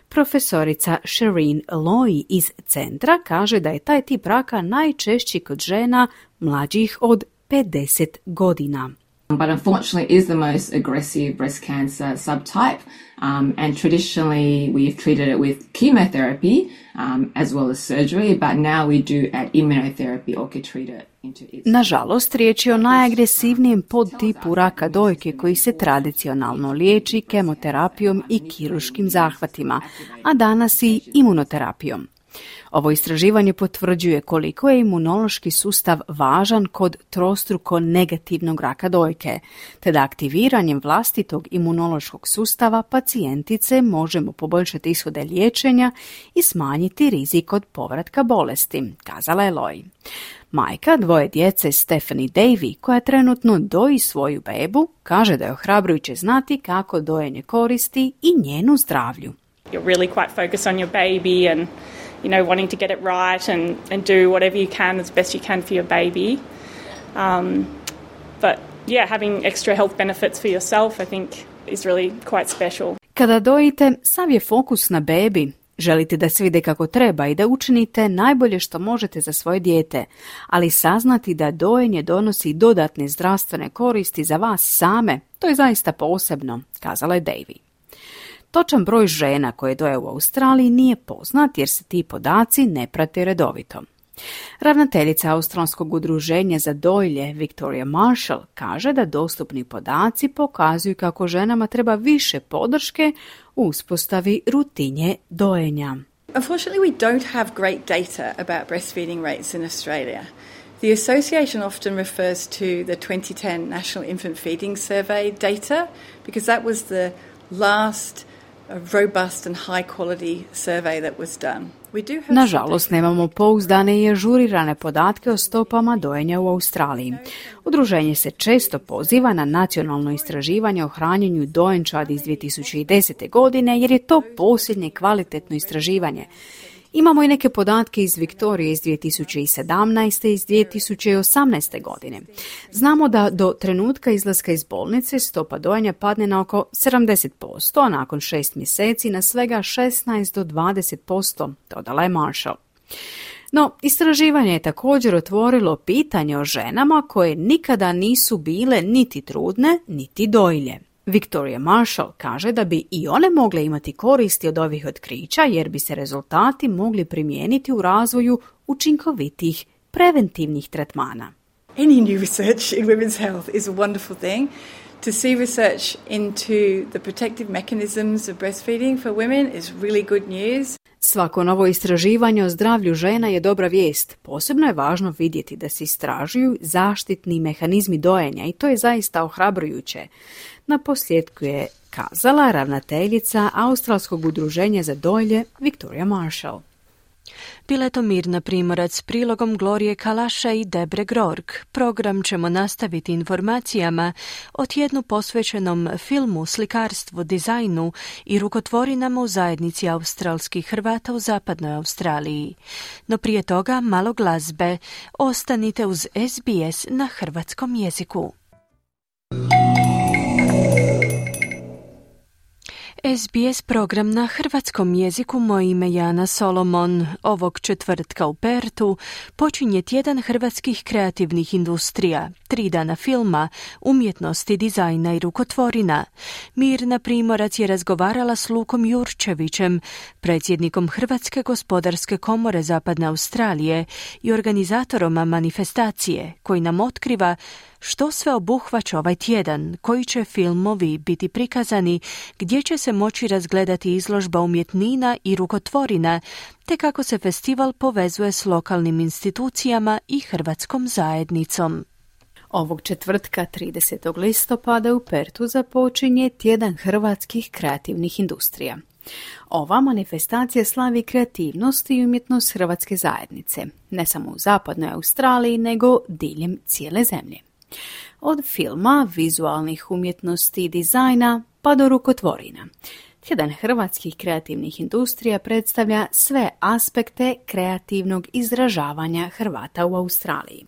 Profesorica Shireen Loy iz centra kaže da je taj tip raka najčešći kod žena mlađih od pedeset godina. But unfortunately is the most aggressive breast cancer subtype, um, and traditionally we've treated it with chemotherapy um, as well as surgery, but now we do add immunotherapy or Keytruda into it. Nažalost, riječ je o najagresivnijem podtipu raka dojke koji se tradicionalno liječi kemoterapijom i kirurškim zahvatima, a danas i imunoterapijom. Ovo istraživanje potvrđuje koliko je imunološki sustav važan kod trostruko negativnog raka dojke, te da aktiviranjem vlastitog imunološkog sustava pacijentice možemo poboljšati ishode liječenja i smanjiti rizik od povratka bolesti, kazala je Loy. Majka dvoje djece Stephanie Davy, koja trenutno doji svoju bebu, kaže da je ohrabrujuće znati kako dojenje koristi i njenu zdravlju. You're really quite focused on your baby and you know, wanting to get it right and, and do whatever you can as best you can for your baby. Um, but yeah, having extra health benefits for yourself, I think, is really quite special. Kada dojite, sav je fokus na bebi. Želite da se vide kako treba i da učinite najbolje što možete za svoje dijete, ali saznati da dojenje donosi dodatne zdravstvene koristi za vas same, to je zaista posebno, kazala je Davy. Točan broj žena koje doje u Australiji nije poznat jer se ti podaci ne prate redovito. Ravnateljica Australskog udruženja za dojilje Victoria Marshall kaže da dostupni podaci pokazuju kako ženama treba više podrške u uspostavi rutinje dojenja. Unfortunately, we don't have great data about breastfeeding rates in Australia. The association often refers to the twenty ten National Infant Feeding Survey data because that was the last robust and high quality survey that was done. Nažalost, nemamo pouzdane i ažurirane podatke o stopama dojenja u Australiji. Udruženje se često poziva na nacionalno istraživanje o hranjenju dojenčadi iz dvije tisuće desete. godine jer je to posljednje kvalitetno istraživanje. Imamo i neke podatke iz Viktorije iz dvije tisuće sedamnaeste i iz dvije tisuće osamnaeste. godine. Znamo da do trenutka izlaska iz bolnice stopa dojenja padne na oko sedamdeset posto, a nakon šest mjeseci na svega šesnaest do dvadeset posto, dodala je Marshall. No, istraživanje je također otvorilo pitanje o ženama koje nikada nisu bile niti trudne, niti dojilje. Victoria Marshall kaže da bi i one mogle imati koristi od ovih otkrića jer bi se rezultati mogli primijeniti u razvoju učinkovitih preventivnih tretmana. Any new research in women's health is a wonderful thing. To see research into the protective mechanisms of breastfeeding for women is really good news. Svako novo istraživanje o zdravlju žena je dobra vijest. Posebno je važno vidjeti da se istražuju zaštitni mehanizmi dojenja i to je zaista ohrabrujuće. Na posljedku je kazala ravnateljica Australskog udruženja za dojilje Victoria Marshall. Bila je to Mirna Primorac s prilogom Glorije Kalaša i Debre Grorg. Program ćemo nastaviti informacijama o tjednu posvećenom filmu, slikarstvu, dizajnu i rukotvorinama u zajednici australskih Hrvata u zapadnoj Australiji. No prije toga malo glazbe. Ostanite uz S B S na hrvatskom jeziku. S B S program na hrvatskom jeziku, moje ime Jana Solomon. Ovog četvrtka u Pertu počinje tjedan hrvatskih kreativnih industrija, tri dana filma, umjetnosti, dizajna i rukotvorina. Mirna Primorac je razgovarala s Lukom Jurčevićem, predsjednikom Hrvatske gospodarske komore Zapadne Australije i organizatorom manifestacije, koji nam otkriva što sve obuhvaća ovaj tjedan, koji će filmovi biti prikazani, gdje će se moći razgledati izložba umjetnina i rukotvorina, te kako se festival povezuje s lokalnim institucijama i hrvatskom zajednicom. Ovog četvrtka tridesetog listopada u Pertu započinje tjedan hrvatskih kreativnih industrija. Ova manifestacija slavi kreativnost i umjetnost hrvatske zajednice, ne samo u zapadnoj Australiji, nego diljem cijele zemlje. Od filma, vizualnih umjetnosti i dizajna pa do rukotvorina. Tjedan hrvatskih kreativnih industrija predstavlja sve aspekte kreativnog izražavanja Hrvata u Australiji.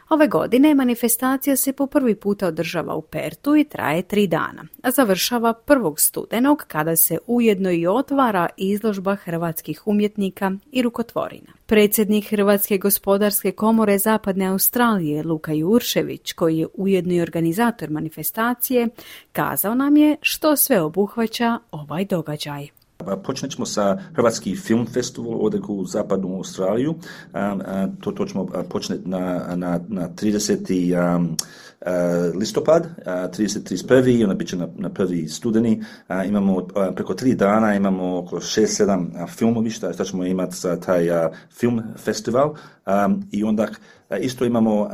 Ove godine manifestacija se po prvi puta održava u Pertu i traje tri dana, a završava prvog studenog kada se ujedno i otvara izložba hrvatskih umjetnika i rukotvorina. Predsjednik Hrvatske gospodarske komore Zapadne Australije Luka Juršević, koji je ujedno i organizator manifestacije, kazao nam je što sve obuhvaća ovaj događaj. Počnet ćemo sa Hrvatski film festival ovdje u Zapadnu Australiju. To, to ćemo početi na, na, na trideseti Um, Uh, listopad, uh, trideset trideset jedan i onda bit će na, na prvi studeni. Uh, imamo uh, preko tri dana, imamo oko šest sedam uh, filmovišta, šta ćemo imati za taj uh, film festival. Um, I onda uh, isto imamo um,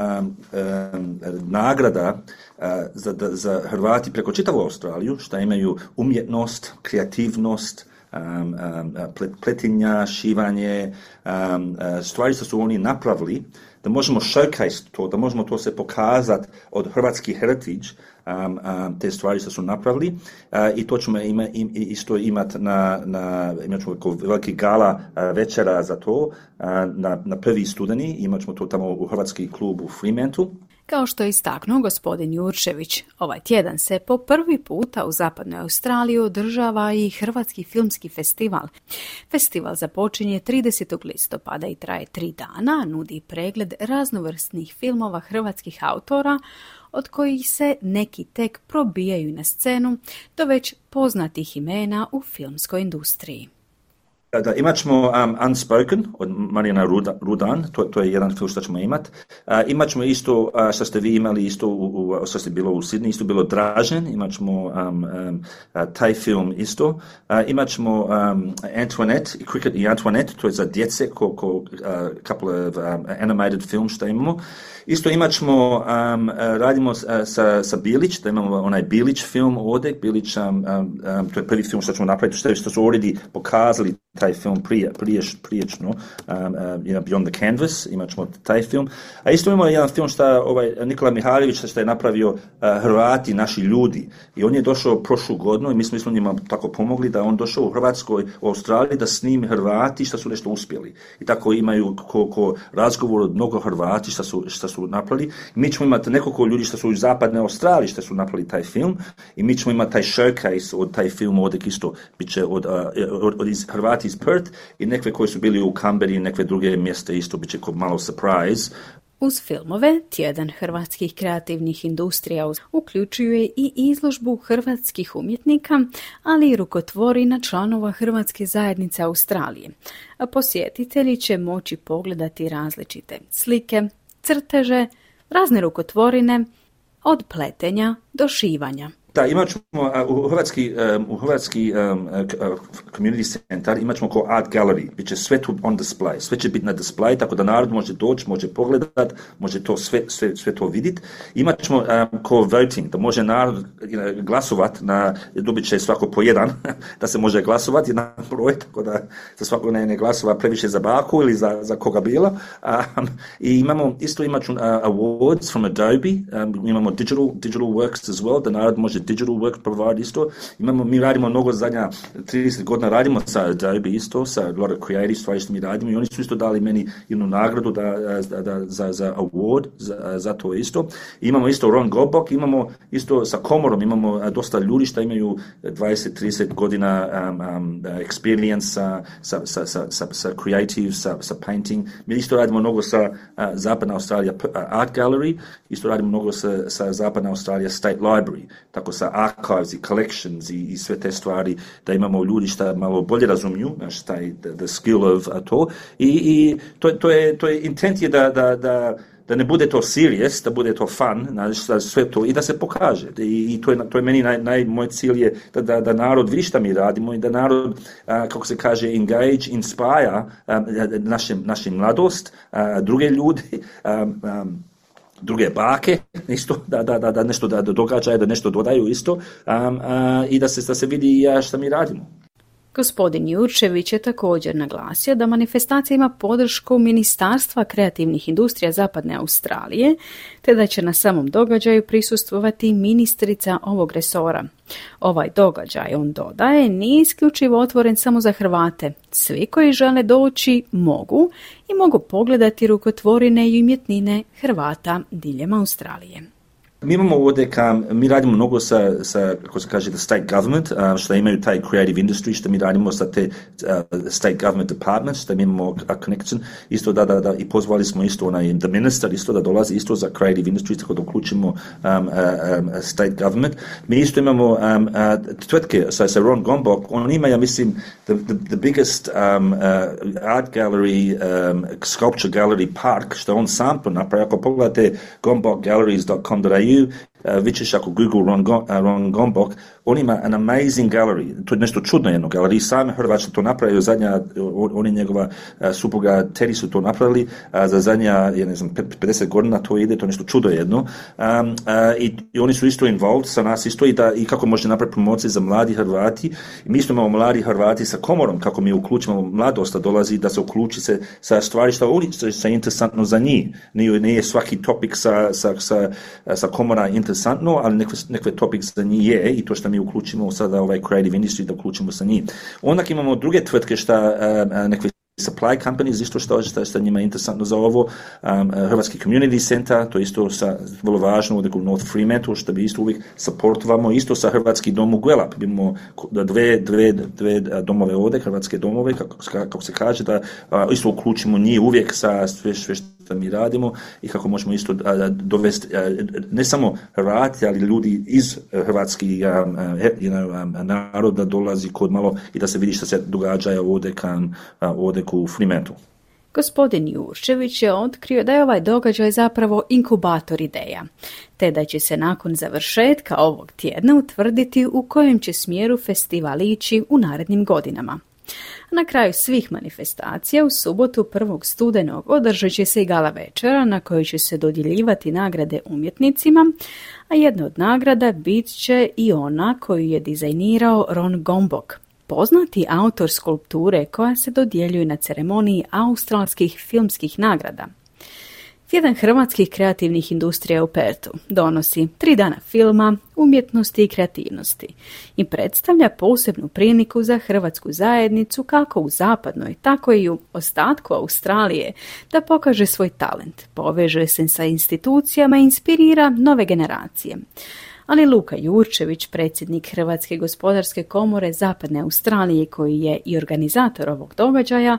um, nagrada uh, za, da, za Hrvati preko čitavu Australiju, šta imaju umjetnost, kreativnost, um, um, pletinja, šivanje, um, uh, stvari što su oni napravili, da možemo showcase to, da možemo to se pokazati od hrvatski heritage, um, um, te stvari što su napravili, uh, i to ćemo ima, im, isto imati na, na imat ćemo veliki gala uh, večera za to, uh, na, na prvi studeni, imat ćemo to tamo u Hrvatski klub u Fremantlu. Kao što je istaknuo gospodin Juršević, ovaj tjedan se po prvi puta u Zapadnoj Australiji održava i Hrvatski filmski festival. Festival započinje tridesetog listopada i traje tri dana, nudi pregled raznovrsnih filmova hrvatskih autora, od kojih se neki tek probijaju na scenu, do već poznatih imena u filmskoj industriji. Da, imat ćemo um, Unspoken od Marijana Rudan, to, to je jedan film što ćemo imati. Uh, imat ćemo isto, uh, što ste vi imali isto, u, u, što ste bilo u Sidney, isto bilo Dražen, imat ćemo um, um, uh, taj film isto. Uh, imat ćemo um, Antoinette, Cricket i Antoinette, to je za djece, ko, ko uh, couple of um, animated film što imamo. Isto imat ćemo, um, radimo uh, sa, sa Bilić, da imamo onaj Bilić film ovdje, Bilić, um, um, to je prvi film što ćemo napraviti, što, što su already pokazali taj film prije, prije, priječno, um, uh, you know, Beyond the Canvas, imat ćemo taj film. A isto imamo jedan film što ovaj, Nikola Mihajlović što je napravio uh, Hrvati, naši ljudi. I on je došao prošlu godinu i mi smo, mi smo njima tako pomogli da on došao u Hrvatskoj, u Australiji da snimi Hrvati što su nešto uspjeli. I tako imaju ko, ko razgovor od mnogo Hrvati što su, što su napravili. I mi ćemo imati nekoliko ljudi što su u Zapadne Australiji što su napravili taj film i mi ćemo imati taj showcase od taj film ovdje isto bit će od, uh, od, od iz Hrvati iz Perth i nekve koji su bili u Canberri i nekve druge mjeste isto bit će kao malo surprise. Uz filmove, tjedan hrvatskih kreativnih industrija uključuje i izložbu hrvatskih umjetnika, ali i rukotvorina članova Hrvatske zajednice Australije. A posjetitelji će moći pogledati različite slike, crteže, razne rukotvorine, od pletenja do šivanja. Da, imat ćemo u Hrvatski, um, u Hrvatski um, community center imat ćemo kao art gallery, bit će sve tu on display, sve će biti na display, tako da narod može doći, može pogledat, može to sve, sve, sve to vidjeti. Imat ćemo um, kao voting, da može narod glasovat, na, dobit će svako po jedan, da se može glasovati na broj, tako da se svako ne, ne glasova previše za baku ili za, za koga bilo. Um, I imamo, isto imat ćemo uh, awards from Adobe, um, imamo digital, digital works as well, da narod može digital work provide isto. Imamo, mi radimo mnogo zadnja trideset godina, radimo sa Adobe isto, sa a lot of creative stvari što mi radimo i oni su isto dali meni jednu nagradu da, da, da, za, za award, za, za to isto. I imamo isto Ron Gobok, imamo isto sa komorom, imamo dosta ljudi što imaju dvadeset trideset godina um, um, experience sa, sa, sa, sa, sa, sa creative, sa, sa painting. Mi isto radimo mnogo sa uh, Zapadna Australija Art Gallery, isto radimo mnogo sa, sa Zapadna Australija State Library, tako sa archives i collections i, i sve te stvari, da imamo ljudi što malo bolje razumiju, znaš, taj, the, the skill of to. I, i to, to, je, to je intent je da, da, da, da ne bude to serious, da bude to fun, znaš, sve to, i da se pokaže. I, i to, je, to je meni naj, naj, moj cilj je da, da, da narod vidi šta mi radimo i da narod, uh, kako se kaže, engage, inspire um, naše, naše mladost, uh, druge ljudi, um, um, druge bake, isto, da, da, da, da nešto da događaju, da nešto dodaju isto, um, uh, i da se, da se vidi šta mi radimo. Gospodin Jurčević je također naglasio da manifestacija ima podršku Ministarstva kreativnih industrija Zapadne Australije, te da će na samom događaju prisustvovati ministrica ovog resora. Ovaj događaj, on dodaje, nije isključivo otvoren samo za Hrvate. Svi koji žele doći mogu i mogu pogledati rukotvorine i umjetnine Hrvata diljem Australije. Mi imamo ovdje, kam, mi radimo mnogo sa, sa, kako se kaže, the state government, uh, što imaju taj creative industry, što mi radimo sa te uh, state government departments, što mi imamo a connection, isto da, da, da, i pozvali smo isto onaj, the minister, isto da dolazi isto za creative industry, tako da uključimo um, uh, um, state government. Mi isto imamo um, uh, tvrtke, sa, sa Ron Gombok, on ima, ja mislim, the, the, the biggest um, uh, art gallery, um, sculpture gallery park, što on sam to napravi. Ako pogledate gombok galleries dot com dot a u, Uh, vidiš ako Google Ron, Go, uh, Ron Gombok, on ima an amazing gallery, to je nešto čudno jedno galerij, sami Hrvatski to napravio, zadnja, on, on i njegova uh, supruga Teri su to napravili, uh, za zadnja, ja ne znam, pedeset godina to ide, to je nešto čudo jedno, um, uh, i, i oni su isto involved sa nas isto i, da, i kako može napraviti promocije za mladi Hrvati, i mi isto imamo mladi Hrvati sa komorom, kako mi uključimo, mladost dolazi da se uključi se sa stvari što oni sa interesantno za njih, nije, nije svaki topik sa, sa, sa, sa komora interesantno, ali nekve, nekve topik za njih je i to što mi uključimo sada ovaj creative industry da uključimo sa njih. Onda imamo druge tvrtke što uh, nekve supply companies, isto što, što, što njima je interesantno za ovo, um, Hrvatski community center, to isto sa, vrlo važno, ovdje u North Fremantle, što bi isto uvijek supportovamo, isto sa Hrvatski dom u Guelab, imamo dve, dve, dve domove ovdje, Hrvatske domove, kako, kako se kaže, da uh, isto uključimo njih uvijek sa sve, sve što mi radimo i kako možemo isto uh, dovesti, uh, ne samo Hrvati, ali ljudi iz Hrvatski um, you know, um, naroda dolazi kod malo i da se vidi što se događa ovdje kan uh, ovdje u Fremantle. Gospodin Jurčević je otkrio da je ovaj događaj zapravo inkubator ideja, te da će se nakon završetka ovog tjedna utvrditi u kojem će smjeru festival ići u narednim godinama. Na kraju svih manifestacija u subotu prvog studenog održat će se i gala večera na kojoj će se dodjeljivati nagrade umjetnicima, a jedna od nagrada bit će i ona koju je dizajnirao Ron Gombok, poznati autor skulpture koja se dodjeljuje na ceremoniji australskih filmskih nagrada. Tjedan hrvatskih kreativnih industrija u Pertu donosi tri dana filma, umjetnosti i kreativnosti i predstavlja posebnu priliku za hrvatsku zajednicu kako u zapadnoj, tako i u ostatku Australije da pokaže svoj talent, poveže se sa institucijama i inspirira nove generacije. Ali Luka Jurčević, predsjednik Hrvatske gospodarske komore Zapadne Australije, koji je i organizator ovog događaja,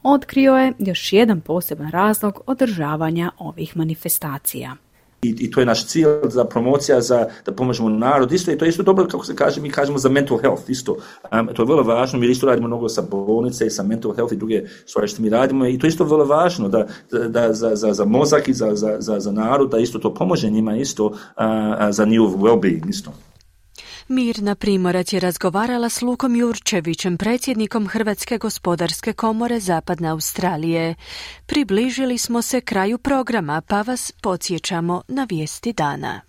otkrio je još jedan poseban razlog održavanja ovih manifestacija. I, I to je naš cilj za promocija, za da pomožemo narod. Isto i to je isto dobro, kako se kaže, mi kažemo za mental health isto. Um, to je vrlo važno, mi isto radimo mnogo sa bolnice i sa mental health i druge stvari što mi radimo i to je isto vrlo važno da, da za, za, za mozak i za, za, za, za narod, da isto to pomože njima isto uh, za njihov well-being isto. Mirna Primorac je razgovarala s Lukom Jurčevićem, predsjednikom Hrvatske gospodarske komore Zapadne Australije. Približili smo se kraju programa, pa vas podsjećamo na vijesti dana.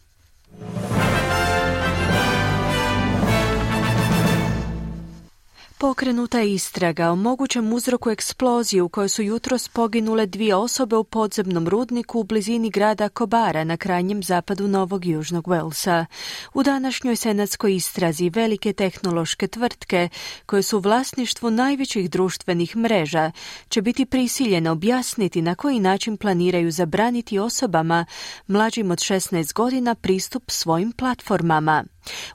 Pokrenuta je istraga o mogućem uzroku eksplozije u kojoj su jutros poginule dvije osobe u podzemnom rudniku u blizini grada Kobara na krajnjem zapadu Novog Južnog Walesa. U današnjoj senatskoj istrazi velike tehnološke tvrtke, koje su u vlasništvu najvećih društvenih mreža, će biti prisiljene objasniti na koji način planiraju zabraniti osobama mlađim od šesnaest godina pristup svojim platformama.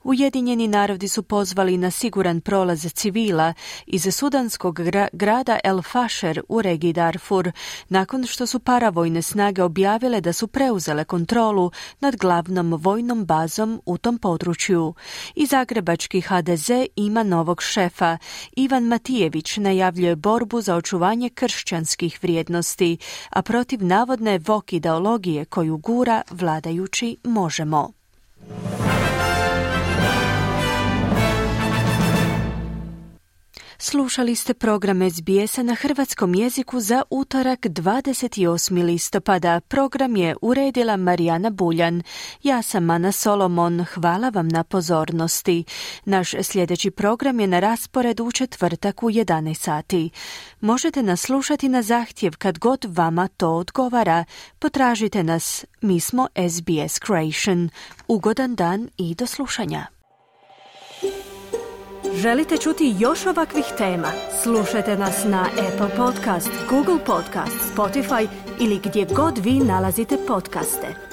Ujedinjeni narodi su pozvali na siguran prolaz civila iz sudanskog gra- grada El Fasher u regiji Darfur, nakon što su paravojne snage objavile da su preuzele kontrolu nad glavnom vojnom bazom u tom području. I zagrebački H D Z ima novog šefa. Ivan Matijević najavljuje borbu za očuvanje kršćanskih vrijednosti, a protiv navodne vok ideologije koju gura vladajući Možemo. Slušali ste program S B S-a na hrvatskom jeziku za utorak dvadeset osmog listopada. Program je uredila Marijana Buljan. Ja sam Ana Solomon. Hvala vam na pozornosti. Naš sljedeći program je na rasporedu u četvrtak u jedanaest sati. Možete nas slušati na zahtjev kad god vama to odgovara. Potražite nas. Mi smo S B S Creation. Ugodan dan i do slušanja. Želite čuti još ovakvih tema? Slušajte nas na Apple Podcast, Google Podcast, Spotify ili gdje god vi nalazite podcaste.